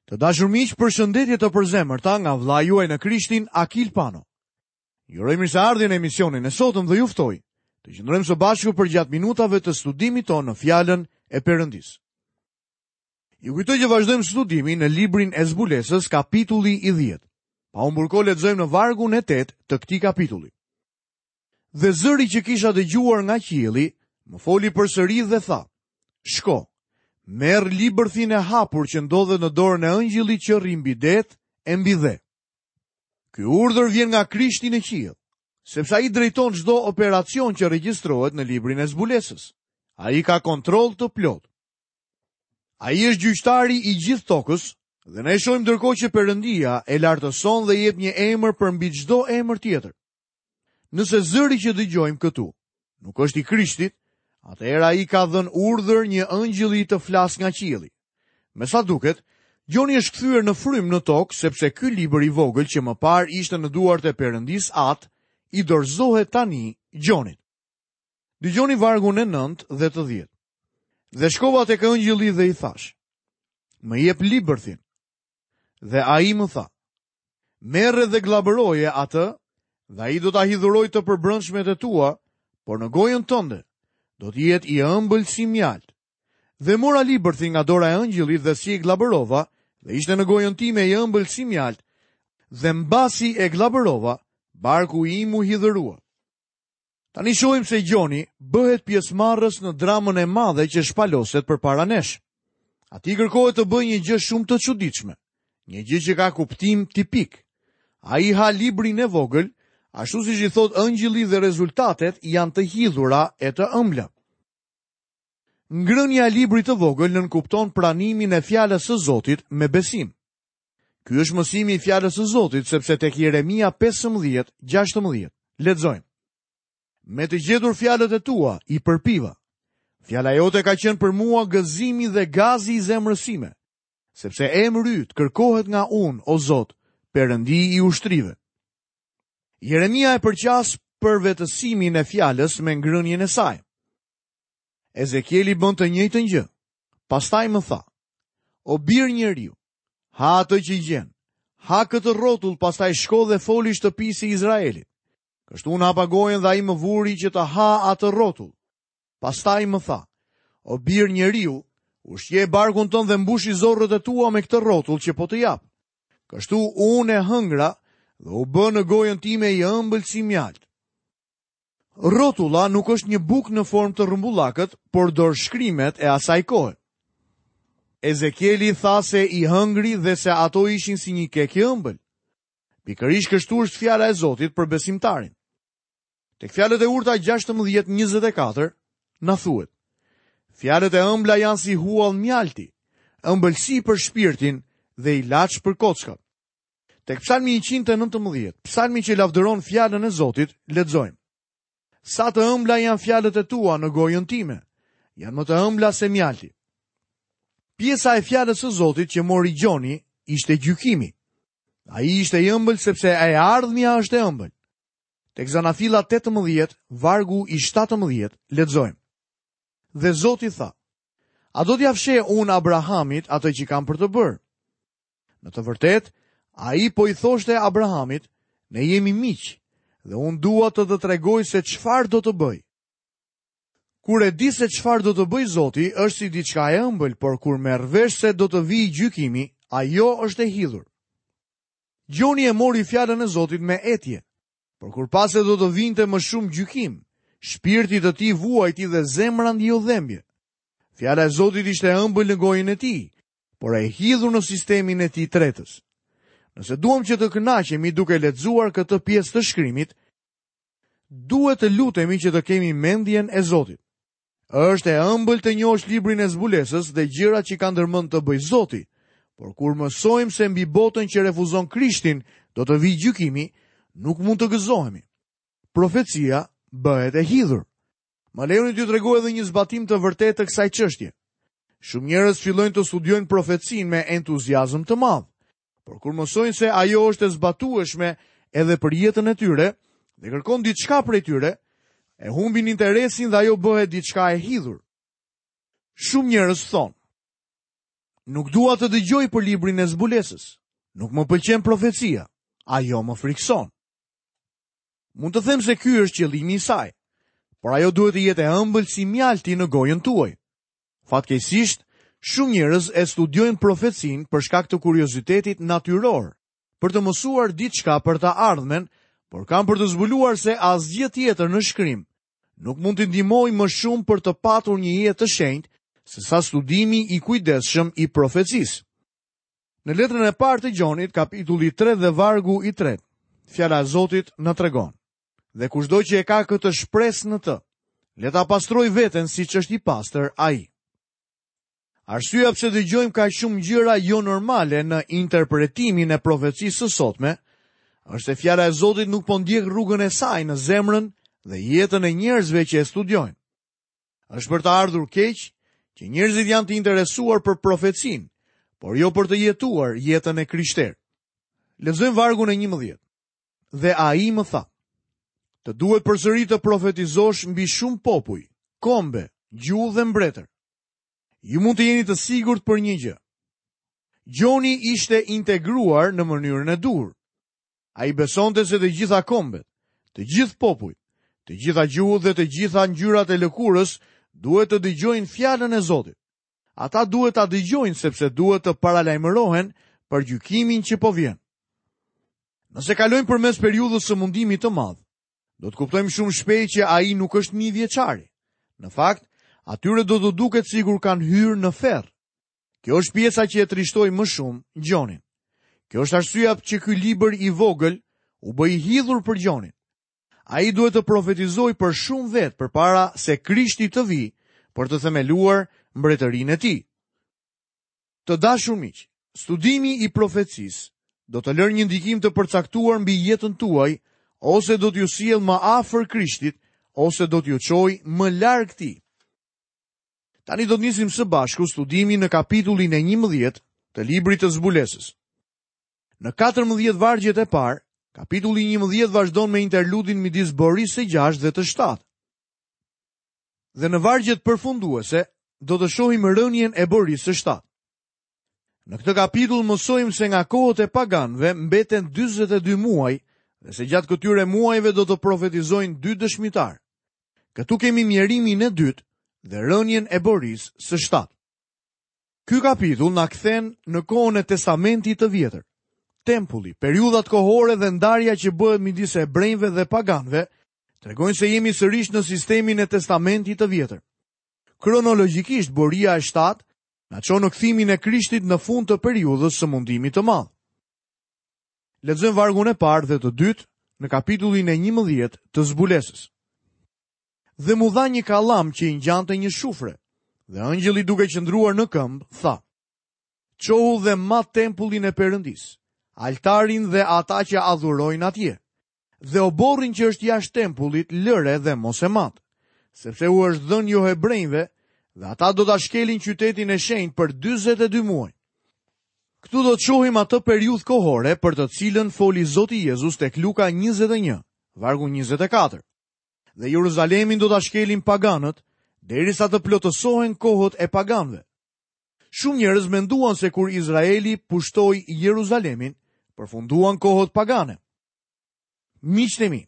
Të dashur miq, përshëndetje të përzemërta nga vëllai juaj në Krishtin, Akil Pano. Ju uroj mirëseardhje në emisionin e sotëm dhe ju ftoj të qëndrojmë së bashku përgjatë minutave të studimit tonë në fjalën e Perëndisë. Ju kujtoj që vazhdojmë studimin në librin e Zbulesës, kapitulli i 10. Pa humbur kohë lexojmë në vargun e 8 të këtij kapitulli. Dhe zëri që kisha dëgjuar nga qielli, më foli përsëri dhe tha, Shko, merr libërthin e hapur që ndodhet në dorën e ëngjëllit që rri mbi det e mbi dhe. Ky urdhër vjen nga Krishti në qiell, sepse ai drejton çdo operacion që regjistrohet në librin e zbulesës. Ai ka kontroll të plotë. Ai është gjyqtari i gjithë tokës dhe ne shohim ndërkohë që Perëndia e lartëson dhe i jep një emër përmbi çdo emër tjetër. Nëse zëri që dëgjojmë këtu nuk është i Krishtit, atëherë ai ka dhënë urdhër një ëngjëlli të flasë nga qielli. Me sa duket, Gjoni është kthyer në frymë në tokë sepse ky libër i vogël që më parë ishte në duart e Perëndisë Atë, i dorëzohet tani Gjonit. Dëgjoni vargun e 9 dhe të 10. Dhe shkova tek ëngjëlli dhe i thashë: Më jep libërthin. Dhe ai më tha: Merre dhe gllabëroje atë, dhe ai do ta hidhurojë të përbrendshmet e tua, por në gojën tënde do të jetë i ëmbël si mjaltë. Dhe mora libërthin nga dora e ëngjëllit dhe si e gllabërova, dhe ishte në gojën time i ëmbël si mjaltë, dhe mbasi e gllabërova, barku im u hidhërua. Tani shohim se Gjoni bëhet pjesëmarrës në dramën e madhe që shpaloset përpara nesh. Atij i kërkohet të bëjë një gjë shumë të çuditshme, një gjë që ka kuptim tipik. Ai ha librin e vogël, ashtu siç i thotë ëngjëlli dhe rezultatet janë të hidhura e të ëmbla. Ngrënia e librit të vogël nënkupton pranimin e fjalës së Zotit me besim. Ky është mësimi i fjalës së Zotit, sepse tek Jeremia 15, 16, lexojmë. Me të gjetur fjalët e tua, i përpiva. Fjala jote ka qenë për mua gëzimi dhe gazi i zemrës sime, sepse emri yt kërkohet nga unë, o Zot, Perëndi i ushtrive. Jeremia e përqas përvetësimin e fjalës me ngrënien e saj. Ezekieli bën të njëjtën gjë. Pastaj më tha: O bir njeriu, ha atë që gjen. Ha këtë rrotull, pastaj shko dhe foli shtëpisë së Izraelit. Kështu unë hapa gojën dhe ai më vuri që të ha atë rrotull. Pastaj më tha: O bir njeriu, ushqeje barkun tënd dhe mbushi zorrët e tua me këtë rrotull që po të jap. Kështu unë e hëngra dhe u bë në gojën time i ëmbël si mjaltë. Rrotulla nuk është një bukë në formë të rrumbullakët, por dorëshkrimet e asaj kohe. Ezekieli tha se i hëngri dhe se ato ishin si një kek i ëmbël. Pikërisht kështu është fjala e Zotit për besimtarin. Tek fjalët e urta 16:24 na thuhet: Fjalët e ëmbla janë si huall mjalti, ëmbëlsi për shpirtin dhe ilaç për kockat. Tek psalmi 119, psalmi që lavdëron fjalën e Zotit, lexojmë. Sa të ëmbla janë fjalët e tua në gojën time, janë më të ëmbla se mjalti. Pjesa e fjalës së Zotit që mori Gjoni ishte gjykimi. Ai ishte i ëmbël sepse e ardhmja është e ëmbël. Tek Zanafilla 18, vargu i 17, lexojmë. Dhe Zoti tha, a do t'ia fsheh unë Abrahamit atë që kam për të bërë? Në të vërtetë, ai po i thoshte Abrahamit, ne jemi miq dhe unë dua të të tregoj se çfarë do të bëj. Kur e di se çfarë do të bëjë Zoti, është si diçka e ëmbël, por kur merr vesh se do të vijë gjykimi, ajo është e hidhur. Gjoni e mori fjalën e Zotit me etje, por kur pa se do të vinte më shumë gjykim, shpirtit të tij vuajti dhe zemra ndjeu dhembje. Fjala e Zotit ishte e ëmbël në gojën e tij, por e hidhur në sistemin e tij tretës. Nëse duam që të kënaqemi duke lexuar këtë pjesë të shkrimit, duhet të lutemi që të kemi mendjen e Zotit. Është e ëmbël të njohësh librin e zbulesës dhe gjërat që ka ndërmend të bëjë Zoti, por kur mësojmë se mbi botën që refuzon Krishtin do të vijë gjykimi, nuk mund të gëzohemi. Profecia bëhet e hidhur. Më lejoni t'ju tregoj edhe një zbatim të vërtetë të kësaj çështje. Shumë njerëz fillojnë të studiojnë profecinë me entuziazëm të madh, por kur mësojnë se ajo është e zbatueshme edhe për jetën e tyre dhe kërkon diçka prej tyre, e humbin interesin dhe ajo bëhet diçka e hidhur. Shumë njerëz thonë: Nuk dua të dëgjoj për librin e zbulesës. Nuk më pëlqen profecia. Ajo më frikëson. Mund të them se ky është qëllimi i saj, por ajo duhet të jetë e ëmbël si mjalti në gojën tuaj. Fatkeqësisht, shumë njerëz e studiojnë profecinë për shkak të kuriozitetit natyror, për të mësuar diçka për të ardhmen, por kanë për të zbuluar se asgjë tjetër në shkrim nuk mund t'i ndihmojë më shumë për të patur një jetë të shenjtë sesa studimi i kujdesshëm i profecisë. Në letrën e parë të Gjonit, kapitulli 3 dhe vargu i 3, fjala e Zotit na tregon. Dhe kushdo që e ka këtë shpresë në të, le ta pastrojë veten siç është i pastër ai. Arsyeja pse dëgjojmë kaq shumë gjëra jo normale në interpretimin e profecisë së sotme, është se fjala e Zotit nuk po ndjek rrugën e saj në zemrën dhe jetën e njerëzve që e studiojnë. Është për të ardhur keq që njerëzit janë të interesuar për profecinë, por jo për të jetuar jetën e krishterë. Lexojmë vargun e 11. Dhe ai më tha: Të duhet përsëri të profetizosh mbi shumë popuj, kombe, gjuhë dhe mbretër. Ju mund të jeni të sigurt për një gjë. Gjoni ishte integruar në mënyrën e duhur. Ai besonte se të gjitha kombet, të gjithë popujt, të gjitha gjuhët dhe të gjitha ngjyrat e lëkurës duhet të dëgjojnë fjalën e Zotit. Ata duhet ta dëgjojnë sepse duhet të paralajmërohen për gjykimin që po vjen. Nëse kalojmë përmes periudhës së mundimit të madh, Do të kuptojmë shumë shpejt që ai nuk është mijëvjeçari. Në fakt, atyre do t'u duket sikur kanë hyrë në ferr. Kjo është pjesa që e trishtoi më shumë Gjonin. Kjo është arsyeja që ky libër i vogël u bë i hidhur për Gjonin. Ai duhet të profetizojë për shumë vetë përpara se Krishti të vijë për të themeluar mbretërinë e tij. Të dashur miq, studimi i profecisë do të lërë një ndikim të përcaktuar mbi jetën tuaj ose do t'ju sjellë më afër Krishtit ose do t'ju çojë më larg tij. Tani do të nisim së bashku studimin në kapitullin e 11 të librit të Zbulesës. Në 14 vargjet e parë, kapitulli 11 vazhdon me interludin midis borisë së 6 dhe të 7. Dhe në vargjet përfunduese do të shohim rënien e borisë së 7. Në këtë kapitull mësojmë se nga kohët e paganëve mbeten 42 muaj dhe se gjatë këtyre muajve do të profetizojnë dy dëshmitarë. Këtu kemi mjerimin e dytë dhe rënien e borisë së 7. Ky kapitull na kthen në kohën e Testamentit të Vjetër. Tempulli, periudhat kohore dhe ndarja që bëhet midis hebrenjve dhe paganëve tregojnë se jemi sërish në sistemin e Testamentit të Vjetër. Kronologjikisht, boria e 7 na çon në kthimin e Krishtit në fund të periudhës së mundimit të madh. Lexojmë vargun e parë dhe të dytë në kapitullin e 11 të Zbulesës. Dhe m'u dha një kallam që i ngjante një shufre, dhe engjëlli duke qëndruar në këmbë, tha, Çohu dhe mat tempullin e Perëndisë, altarin dhe ata që adhurojnë atje, dhe oborrin që është jashtë tempullit lëre dhe mos e mat, sepse u është dhënë johebrenjve dhe ata do ta shkelin qytetin e shenjtë për 42 muaj. Këtu do të shohim atë periudhë kohore për të cilën foli Zoti Jezus tek Luka 21, vargu 24. Dhe Jeruzalemin do ta shkelin paganët, derisa të plotësohen kohët e paganëve. Shumë njerëz menduan se kur Izraeli pushtoi Jeruzalemin, përfunduan kohët pagane. Miqtë e mi,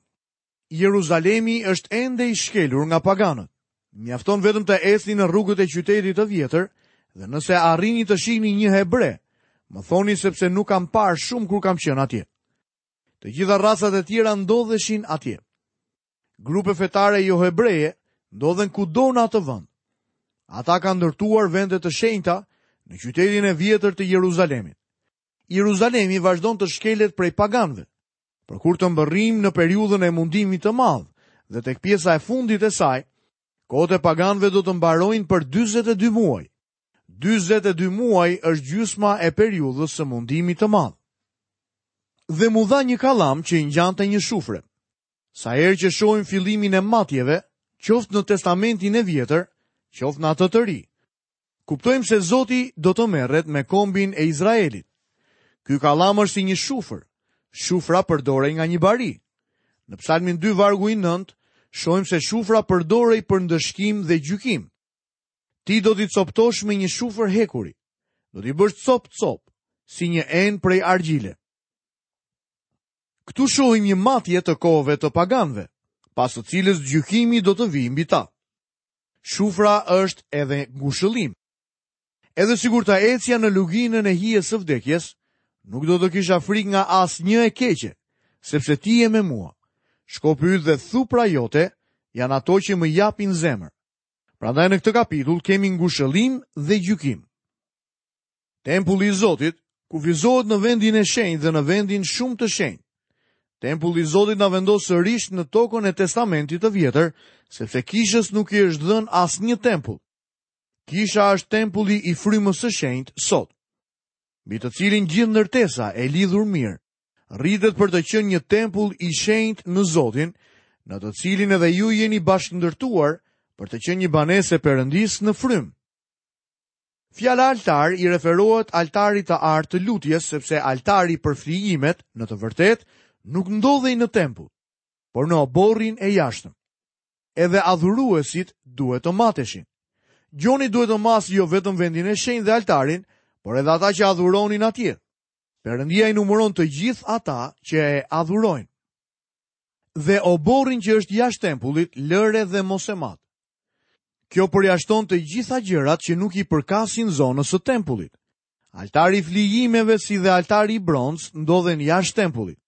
Jeruzalemi është ende i shkelur nga paganët. Mjafton vetëm të ecni në rrugët e qytetit të vjetër dhe nëse arrini të shihni një hebre, më thoni sepse nuk kam parë shumë kur kam qenë atje. Të gjitha racat e tjera ndodheshin atje. Grupe fetare johebreje ndodhen kudo në atë vend. Ata kanë ndërtuar vende të shenjta në qytetin e vjetër të Jeruzalemit. Jeruzalemi vazhdon të shkelet prej paganëve. Por kur të mbërrijmë në periudhën e mundimit të madh dhe tek pjesa e fundit e saj, kohët e paganëve do të mbarojnë për 42 muaj. 42 muaj është gjysma e periudhës së mundimit të madh. Dhe m'u dha një kallam që i ngjante një shufre. Sa herë që shohim fillimin e matjeve, qoftë në Testamentin e Vjetër, qoftë në atë të Ri, kuptojmë se Zoti do të merret me kombin e Izraelit. Ky kallam është si një shufër. Shufra përdorej nga një bari. Në Psalmin 2 vargu i 9, shohim se shufra përdorej për ndëshkim dhe gjykim. Ti do t'i copëtosh me një shufër hekuri. Do t'i bësh copë-copë, si një enë prej argjile. Këtu shohim një matje të kohëve të paganëve, pas së cilës gjykimi do të vijë mbi ta. Shufra është edhe ngushëllim. Edhe sikur të ecja në luginën e hijes së vdekjes, nuk do të kisha frikë nga asnjë e keqe, sepse ti je me mua. Shkopi yt dhe thupra jote janë ato që më japin zemër. Prandaj në këtë kapitull kemi ngushëllim dhe gjykim. Tempulli i Zotit kufizohet në vendin e shenjtë dhe në vendin shumë të shenjtë. Tempulli i Zotit na vendos sërish në tokën e Testamentit të Vjetër, sepse kishës nuk i është dhënë asnjë tempull. Kisha është tempulli i frymës së shenjtë sot, mbi të cilin gjithë ndërtesa e lidhur mirë rritet për të qenë një tempull i shenjtë në Zotin, në të cilin edhe ju jeni bashkëndërtuar për të qenë një banesë e Perëndisë në frymë. Fjala altar i referohet altarit të artë të lutjes, sepse altari për flijimet, në të vërtetë, nuk ndodhej në tempull, por në oborrin e jashtëm. Edhe adhuruesit duhet të mateshin. Gjoni duhet të masë jo vetëm vendin e shenjtë dhe altarin, por edhe ata që adhuronin atje. Perëndia i numëron të gjithë ata që e adhurojnë. Dhe oborrin që është jashtë tempullit, lëre dhe mos e mat. Kjo përjashton të gjitha gjërat që nuk i përkasin zonës së tempullit. Altari i flijimeve si dhe altari i bronztë ndodhen jashtë tempullit.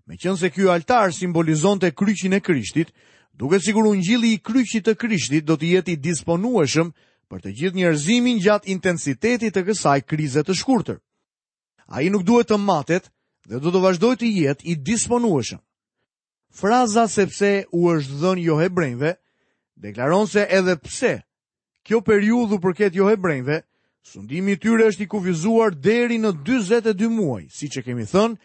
Meqenëse ky altar simbolizonte kryqin e Krishtit, duket sikur ungjilli i kryqit të Krishtit do të jetë i disponueshëm për të gjithë njerëzimin gjatë intensitetit të kësaj krize të shkurtër. Ai nuk duhet të matet dhe do të vazhdojë të jetë i disponueshëm. Fraza sepse u është dhënë johebrenjve deklaron se edhe pse kjo periudhë u përket johebrenjve, sundimi i tyre është i kufizuar deri në 42 muaj, siç e kemi thënë,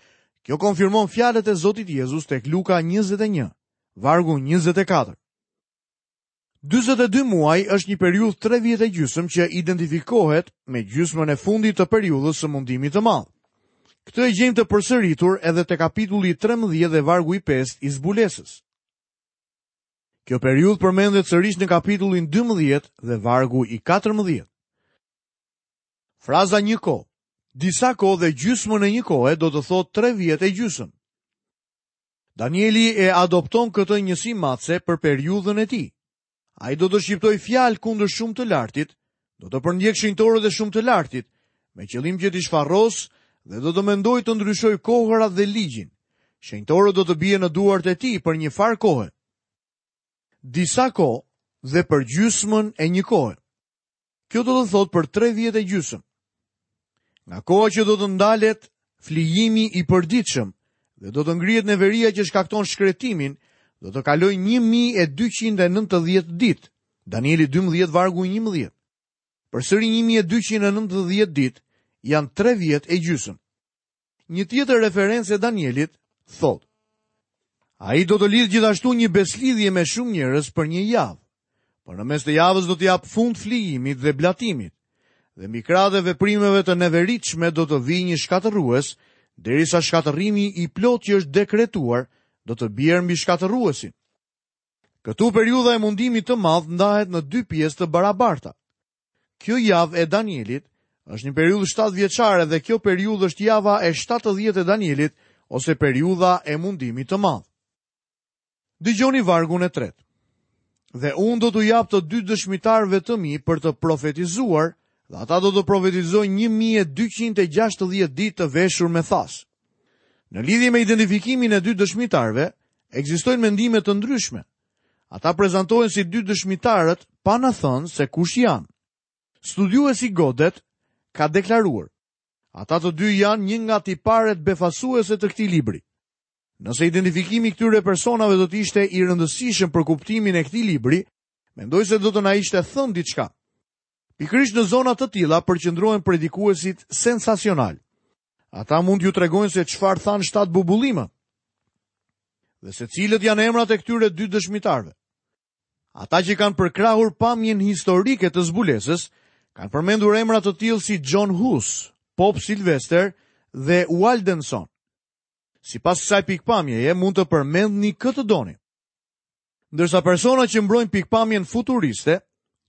kjo konfirmon fjalët e Zotit Jezus tek Luka 21, vargu 24. 42 muaj është një periudhë 3 vjet e gjysmë që identifikohet me gjysmën e fundit të periudhës së mundimit të madh. Këtë e gjejmë të përsëritur edhe te kapitulli 13 dhe vargu i 5 i zbulesës. Kjo periudhë përmendet sërish në kapitullin 12 dhe vargu i 14. Fraza një kohë, disa kohë dhe gjysmën e një kohe do të thotë 3 vjet e gjysmë. Danieli e adopton këtë njësi matëse për periudhën e tij. Ai do të shqiptojë fjalë kundër shumë të lartit, do të përndjekë shenjtorët e shumë të lartit, me qëllim që t'i shfarosë dhe do të mendojë të ndryshojë kohërat dhe ligjin. Shenjtorët do të bien në duart e tij për një farë kohe. Disa kohë dhe për gjysmën e një kohe. Kjo do të thotë për 3 vjet e gjysmë. Nga koha që do të ndalet flijimi i përditshëm dhe do të ngrihet neveria që shkakton shkretimin, do të kalojë 1290 ditë. Danieli 12 vargu 11. Përsëri 1290 ditë janë 3 vjet e gjysmë. Një tjetër referencë e Danielit thotë: Ai do të lidhë gjithashtu një besëlidhje me shumë njerëz për një javë. Por në mes të javës do t'i japë fund flijimit dhe blatimit. Dhe mbi krahët e veprimeve të neveritshme do të vijë një shkatërrues, derisa shkatërrimi i plotë që është dekretuar do të bjerë mbi shkatërruesin. Këtu periudha e mundimit të madh ndahet në dy pjesë të barabarta. Kjo javë e Danielit është një periudhë 7 vjeçare dhe kjo periudhë është java e 70 e Danielit ose periudha e mundimit të madh. Dëgjoni vargun e tretë. Dhe unë do t'u jap të dy dëshmitarëve të mi për të profetizuar, dhe ata do të profetizojnë 1260 ditë të veshur me thasë. Në lidhje me identifikimin e dy dëshmitarëve, ekzistojnë mendime të ndryshme. Ata prezantohen si dy dëshmitarët pa na thënë se kush janë. Studiuesi Godet ka deklaruar, ata të dy janë një nga tiparet befasuese të këtij libri. Nëse identifikimi i këtyre personave do të ishte i rëndësishëm për kuptimin e këtij libri, mendoj se do të na ishte thënë diçka. Pikërisht në zona të tilla përqendrohen predikuesit sensacionalë. Ata mund t'ju tregojnë se çfarë thanë shtatë bubullimat dhe se cilët janë emrat e këtyre dy dëshmitarëve. Ata që kanë përkrahur pamjen historike të zbulesës, kanë përmendur emra të tillë si John Hus, Pop Sylvester dhe Waldenson. Sipas kësaj pikëpamjeje mund të përmendni kë të doni. Ndërsa persona që mbrojnë pikëpamjen futuriste,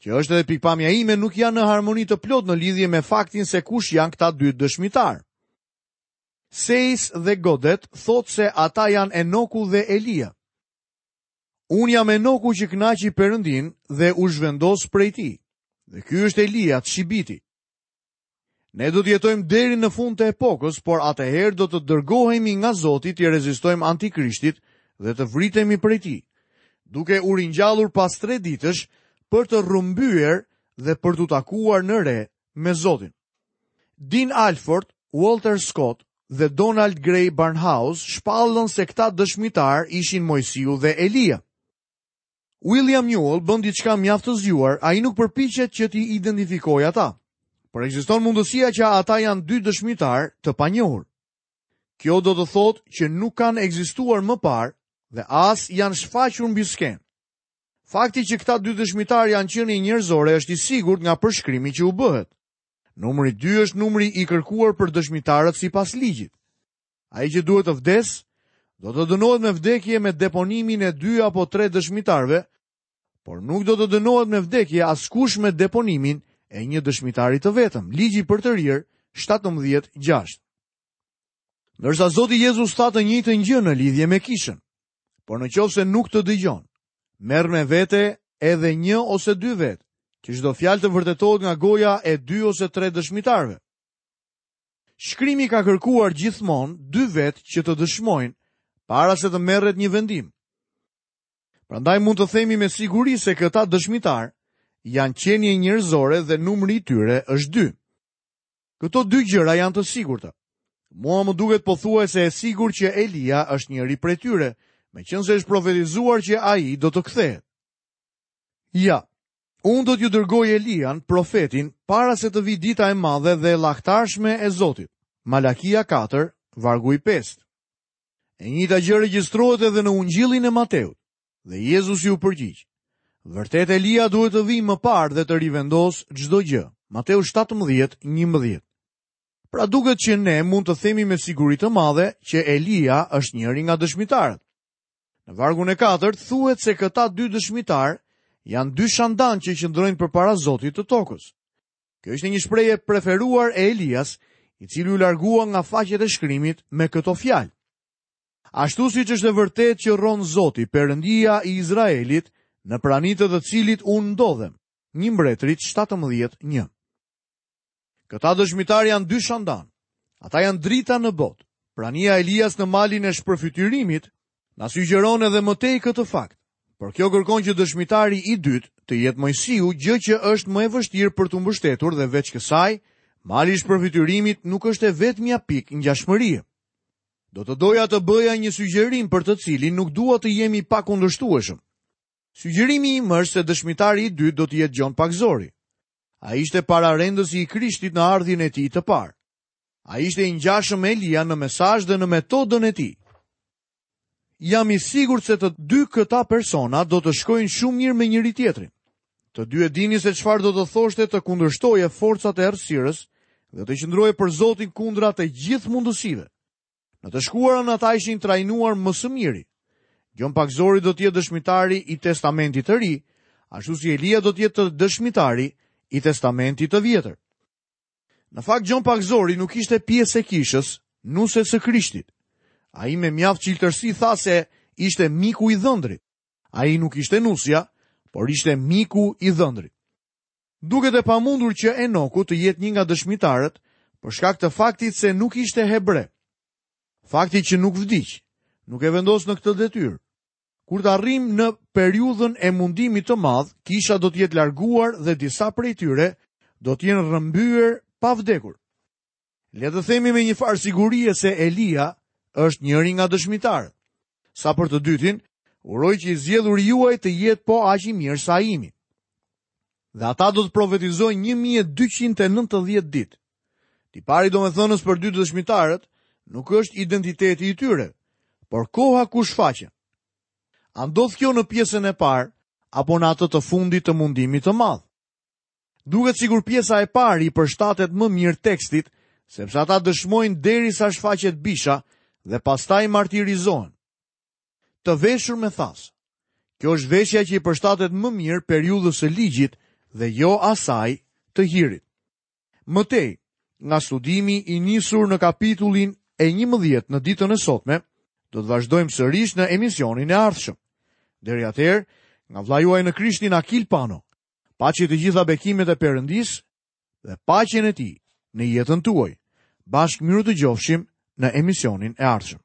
Që është edhe pikëpamja ime nuk janë në harmoni të plotë në lidhje me faktin se kush janë këta dy dëshmitarë. Seis dhe Godet thotë se ata janë Enoku dhe Elia. Unë jam Enoku që kënaqi Perëndinë dhe u zhvendos prej tij. Dhe ky është Elia, Tshibiti. Ne do të jetojmë deri në fund të epokës, por atëherë do të dërgohemi nga Zoti t'i rezistojmë antikrishtit dhe të vritemi prej tij, duke u ringjallur pas tre ditësh për të rrëmbyer dhe për t'u takuar në re me Zotin. Dean Alford, Walter Scott dhe Donald Grey Barnhouse shpallën se këta dëshmitarë ishin Moisiu dhe Elia. William Newell bën diçka mjaft të zgjuar, ai nuk përpiqet që t'i identifikojë ata. Por ekziston mundësia që ata janë dy dëshmitarë të panjohur. Kjo do të thotë që nuk kanë ekzistuar më parë dhe as janë shfaqur mbi skenë. Fakti që këta dy dëshmitarë janë qenie njerëzore është i sigurt nga përshkrimi që u bëhet. Numri 2 është numri i kërkuar për dëshmitarët sipas ligjit. Ai që duhet të vdesë, do të dënohet me vdekje me deponimin e dy apo tre dëshmitarëve, por nuk do të dënohet me vdekje askush me deponimin e një dëshmitari të vetëm. Ligji i përtërirë 17:6. Ndërsa Zoti Jezus tha të njëjtën gjë në lidhje me kishën. Por në qoftë se nuk të dëgjon, merr me vete edhe një ose dy vetë, që çdo fjalë të vërtetohet nga goja e dy ose tre dëshmitarëve. Shkrimi ka kërkuar gjithmonë dy vetë që të dëshmojnë para se të merret një vendim. Prandaj mund të themi me siguri se këta dëshmitarë janë qenie njerëzore dhe numri i tyre është dy. Këto dy gjëra janë të sigurta. Mua më duket pothuajse e sigurt që Elia është njëri prej tyre, meqenëse është profetizuar që ai do të kthehet. Ja, Unë do t'ju dërgoj Elian, profetin, para se të vijë dita e madhe dhe e llahtarshme e Zotit. Malakia 4, vargu i 5. E njëjta gjë regjistrohet edhe në Ungjillin e Mateut. Dhe Jezusi u përgjigj: Vërtet Elia duhet të vijë më parë dhe të rivendosë çdo gjë. Mateu 17, 11. Pra duket që ne mund të themi me siguri të madhe që Elia është njëri nga dëshmitarët. Në vargun e katërt thuhet se këta dy dëshmitarë janë dy shandanë që qëndrojnë përpara Zotit të tokës. Kjo ishte një shprehje e preferuar e Elias, i cili u largua nga faqet e shkrimit me këto fjalë. Ashtu siç është e vërtetë që rron Zoti, Perëndia i Izraelit, në prani të të cilit unë ndodhem. 1 Mbretërit 17:1. Këta dëshmitarë janë dy shandanë. Ata janë drita në botë. Prania e Elias në malin e shpërfytyrimit na sugjeron edhe më tej këtë fakt. Por kjo kërkon që dëshmitari i dytë të jetë Moisiu, gjë që është më e vështirë për t'u mbështetur dhe veç kësaj, mali i shpërfytyrimit nuk është e vetmja pikë ngjashmërie. Do të doja të bëja një sugjerim për të cilin nuk dua të jem i pakundërshtueshëm. Sugjerimi im është se dëshmitari i dytë do të jetë Gjon Pagëzori. Ai ishte pararendësi i Krishtit në ardhjen e tij të parë. Ai ishte i ngjashëm me Elian në mesazh dhe në metodën e tij. Jam i sigurt se të dy këta persona do të shkojnë shumë mirë me njëri-tjetrin. Të dy e dinin se çfarë do të thoshte të kundërshtoje forcat e errësirës dhe të qëndroje për Zotin kundra të gjithë mundësive. Në të shkuarën ata ishin trajnuar më së miri. Gjon Pagëzori do të jetë dëshmitari i Testamentit të Ri, ashtu si Elia do të jetë dëshmitari i Testamentit të Vjetër. Në fakt Gjon Pagëzori nuk ishte pjesë e kishës, nuses së Krishtit. Ai me mjaft çiltërsi tha se ishte miku i dhëndrit. Ai nuk ishte nusja, por ishte miku i dhëndrit. Duket e pamundur që Enoku të jetë një nga dëshmitarët për shkak të faktit se nuk ishte hebre. Fakti që nuk vdiq, nuk e vendos në këtë detyrë. Kur të arrijmë në periudhën e mundimit të madh, kisha do të jetë larguar dhe disa prej tyre do të jenë rrëmbyer pa vdekur. Le të themi me një farë sigurie se Elia është njëri nga dëshmitarët. Sa për të dytin, uroj që i zgjedhuri juaj të jetë po aq i mirë sa imi. Dhe ata do të profetizojnë 1290 ditë. Tipari domethënës për dy dëshmitarët nuk është identiteti i tyre, por koha ku shfaqen. A ndodh kjo në pjesën e parë apo në atë të fundit të mundimit të madh? Duket sikur pjesa e parë i përshtatet më mirë tekstit, sepse ata dëshmojnë derisa shfaqet bisha dhe pastaj martirizohen. Të veshur me thasë. Kjo është veshja që i përshtatet më mirë periudhës së ligjit dhe jo asaj të hirit. Më tej, nga studimi i nisur në kapitullin e 11 në ditën e sotme, do të vazhdojmë sërish në emisionin e ardhshëm. Deri atëherë, nga vëllai juaj në Krishtin Akil Pano, paçi të gjitha bekimet e Perëndisë dhe paqen e tij në jetën tuaj. Bashkë mirudëgjofshim në emisionin e ardhshëm.